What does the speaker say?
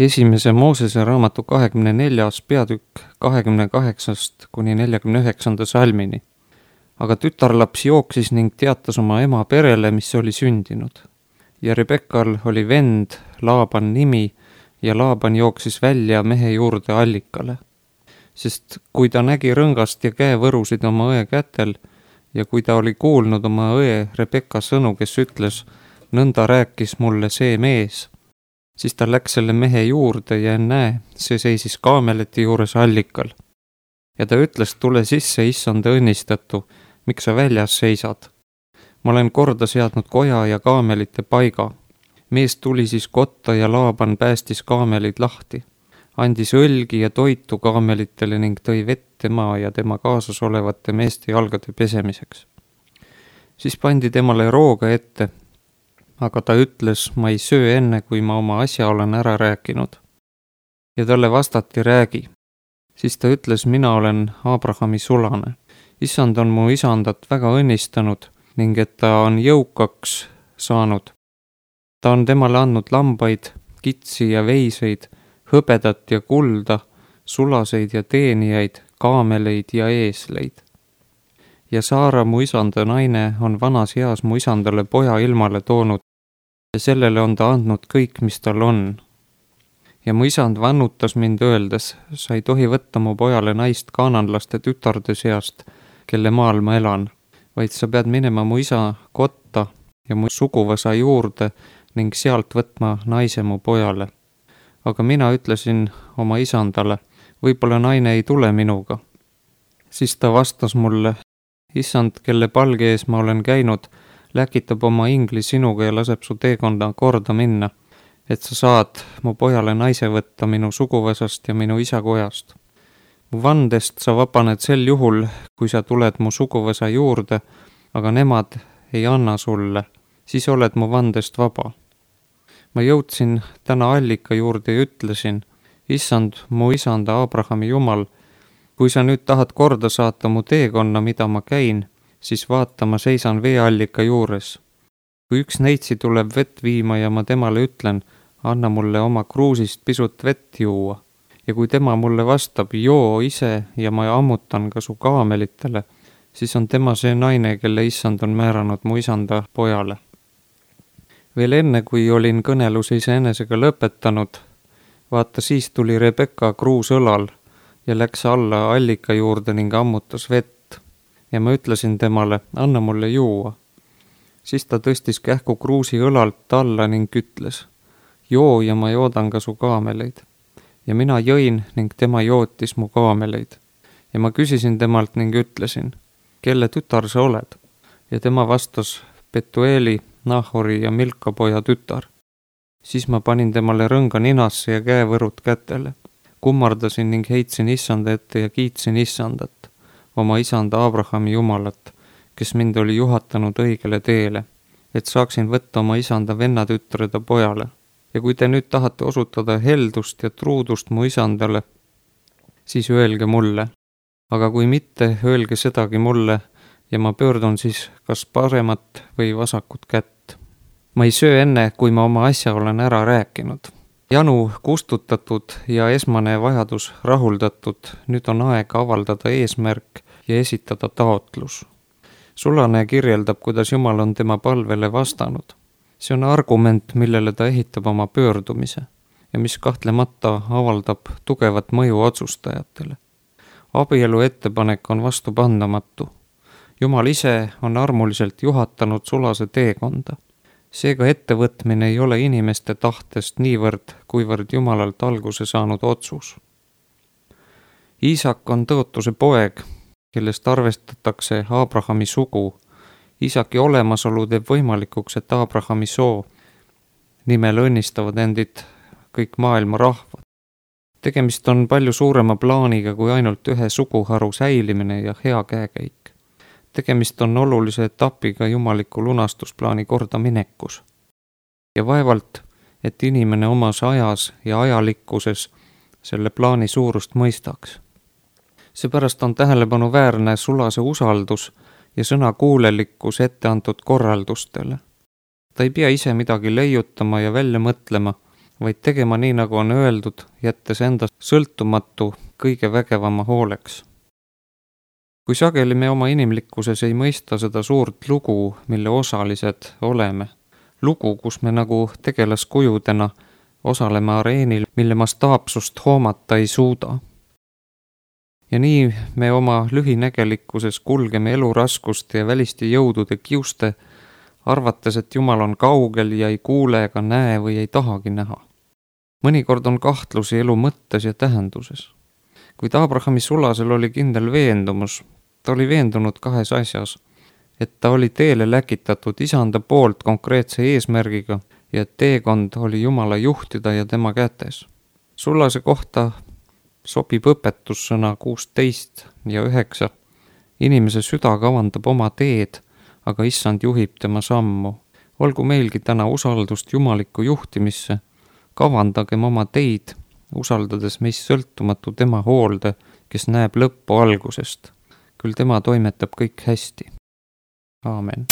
Esimese Moosese raamatu 24. peatükk 28. kuni 49. salmini. Aga tütarlaps jooksis ning teatas oma ema perele, mis oli sündinud. Ja Rebekal oli vend, Laaban nimi, ja Laaban jooksis välja mehe juurde allikale. Sest kui ta nägi rõngast ja käevõrusid oma õe kätel ja kui ta oli kuulnud oma õe Rebeka sõnu, kes ütles, nõnda rääkis mulle see mees, siis ta läks selle mehe juurde ja ennäe, see seisis kaameleti juures allikal. Ja ta ütles, tule sisse, issanda õnnistatu, miks sa väljas seisad? Ma olen korda seadnud koja ja kaamelite paiga. Mees tuli siis kotta ja Laaban päästis kaamelid lahti. Andis õlgi ja toitu kaamelitele ning tõi vett tema ja tema kaasas olevate meeste jalgade pesemiseks. Siis pandi temale rooga ette, aga ta ütles, ma ei söö enne, kui ma oma asja olen ära rääkinud. Ja talle vastati, räägi. Siis ta ütles, mina olen Abrahami sulane. Issand on mu isandat väga õnnistanud ning et ta on jõukaks saanud. Ta on temale andnud lambaid, kitsi ja veiseid, hõbedat ja kulda, sulaseid ja teenijaid, kaameleid ja eesleid. Ja Saara, mu isanda naine, on vanas eas mu isandale poja ilmale toonud ja sellele on ta andnud kõik, mis tal on. Ja mu isand vannutas mind öeldes, sa ei tohi võtta mu pojale naist kaananlaste tütarde seast, kelle maal ma elan, vaid sa pead minema mu isa kotta ja mu suguvõsa juurde ning sealt võtma naise mu pojale. Aga mina ütlesin oma isandale, võib-olla naine ei tule minuga. Siis ta vastas mulle, issand, kelle palge ees ma olen käinud, läkitab oma ingli sinuga ja laseb su teekonda korda minna, et sa saad mu pojale naise võtta minu suguvõsast ja minu isa kojast. Mu vandest sa vabaned sel juhul, kui sa tuled mu suguvõsa juurde, aga nemad ei anna sulle, siis oled mu vandest vaba. Ma jõudsin täna allika juurde ja ütlesin, issand, mu isanda Abrahami Jumal, kui sa nüüd tahad korda saata mu teekonna, mida ma käin, siis vaata, ma seisan veeallika juures. Kui üks neitsi tuleb vett viima ja ma temale ütlen, anna mulle oma kruusist pisut vett juua. Ja kui tema mulle vastab, joo ise ja ma ammutan ka su kaamelitele, siis on tema see naine, kelle issand on määranud mu isanda pojale. Veel enne, kui olin kõneluse iseenesega lõpetanud, vaata siis tuli Rebeka kruus õlal ja läks alla allika juurde ning ammutas vett. Ja ma ütlesin temale, anna mulle juua. Siis ta tõstis kähku kruusi õlalt alla ning ütles, joo ja ma joodan ka su kaameleid. Ja mina jõin ning tema jootis mu kaameleid. Ja ma küsisin temalt ning ütlesin, kelle tütar sa oled? Ja tema vastas, Betueli, Nahori ja Milka poja tütar. Siis ma panin temale rõnga ninasse ja käevõrud kätele. Kummardasin ning heitsin issanda ette ja kiitsin issandat, oma isanda Abrahami Jumalat, kes mind oli juhatanud õigele teele, et saaksin võtta oma isanda vennatütre ta pojale. Ja kui te nüüd tahate osutada heldust ja truudust mu isandale, siis öelge mulle. Aga kui mitte, öelge sedagi mulle ja ma pöördun siis kas paremat või vasakut kätt. Ma ei söö enne, kui ma oma asja olen ära rääkinud. Janu kustutatud ja esmane vajadus rahuldatud, nüüd on aeg avaldada eesmärk ja esitada taotlus. Sulane kirjeldab, kuidas Jumal on tema palvele vastanud. See on argument, millele ta ehitab oma pöördumise ja mis kahtlemata avaldab tugevat mõju otsustajatele. Abielu ettepanek on vastupandamatu. Jumal ise on armuliselt juhatanud sulase teekonda. Seega ettevõtmine ei ole inimeste tahtest niivõrd, kuivõrd Jumalalt alguse saanud otsus. Iisak on tõotuse poeg, kellest arvestatakse Abrahami sugu. Iisaki olemasolu teeb võimalikuks, et Abrahami soo nimel õnnistavad endid kõik maailma rahvad. Tegemist on palju suurema plaaniga kui ainult ühe suguharu säilimine ja hea käekäik. Tegemist on olulise etapiga jumaliku lunastusplaani kordaminekus. Ja vaevalt, et inimene omas ajas ja ajalikkuses selle plaani suurust mõistaks. Seepärast on tähelepanuväärne sulase usaldus ja sõna kuulelikkus etteantud korraldustele. Ta ei pea ise midagi leiutama ja välja mõtlema, vaid tegema nii, nagu on öeldud, jättes enda sõltumatu kõige vägevama hooleks. Kui sageli me oma inimlikkuses ei mõista seda suurt lugu, mille osalised oleme, lugu, kus me nagu tegelaskujudena osaleme areenil, mille mastaapsust hoomata ei suuda. Ja nii me oma lühinägelikkuses kulgeme eluraskuste ja väliste jõudude kiuste, arvates, et Jumal on kaugel ja ei kuule ega näe või ei tahagi näha. Mõnikord on kahtlusi elu mõttes ja tähenduses. Kuid Abrahami sulasel oli kindel veendumus, ta oli veendunud kahes asjas, et ta oli teele läkitatud isanda poolt konkreetse eesmärgiga ja et teekond oli Jumala juhtida ja tema kätes. Sulase kohta sobib õpetussõna 16 ja 9. Inimese süda kavandab oma teed, aga issand juhib tema sammu. Olgu meilgi täna usaldust jumalikku juhtimisse, kavandagem oma teid, usaldades meist sõltumatu tema hoolde, kes näeb lõppu algusest. Küll tema toimetab kõik hästi. Aamen.